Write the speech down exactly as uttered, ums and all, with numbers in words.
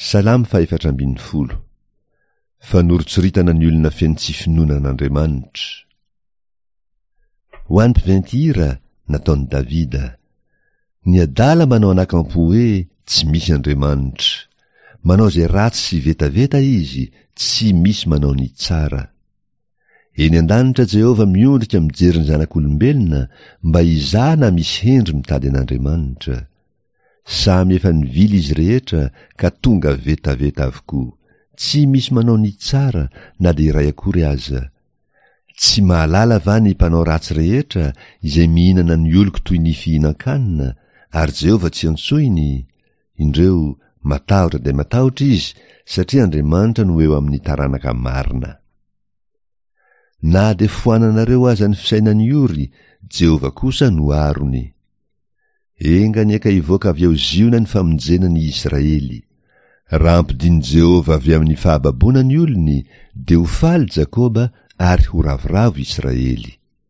Salamo fahefatra ambin'ny folo. Fanoritsoritana ny olona feno tsy finoana an'Andriamanitra. Ho an'ny mpiventy hira, nataon'i Davida. Ny adala manao anakampo hoe tsy misy Andriamanitra. Manao izay ratsy sy vetaveta izy, tsy misy manao ny tsara. Eny an-danitra Jehovah miondrika mijery ny zanak'olombelona mba hizaha na misy hendry mitady an'Andriamanitra. Samy efa nivily izy rehetra ka tonga vetaveta avokoa. Tsy misy manao ny tsara na dia iray akory aza. Tsy mahalala va ny mpanao ratsy rehetra izay mihinana ny oloko toy ny fihinan-kanina, ary Jehovah tsy antsoiny? Indreo, matahotra dia matahotra izy, satria Andriamanitra no eo amin'ny taranaka marina. Na dia foananareo aza ny fisainan'ny ory, Jehovah kosa no arony. Enga anie ka hivoaka avy ao Ziona ny famonjena ny Israely. Raha ampidin'i Jehovah avy amin'ny fahababoana ny olony, dia ho faly Jakoba ary ho ravoravo Israely.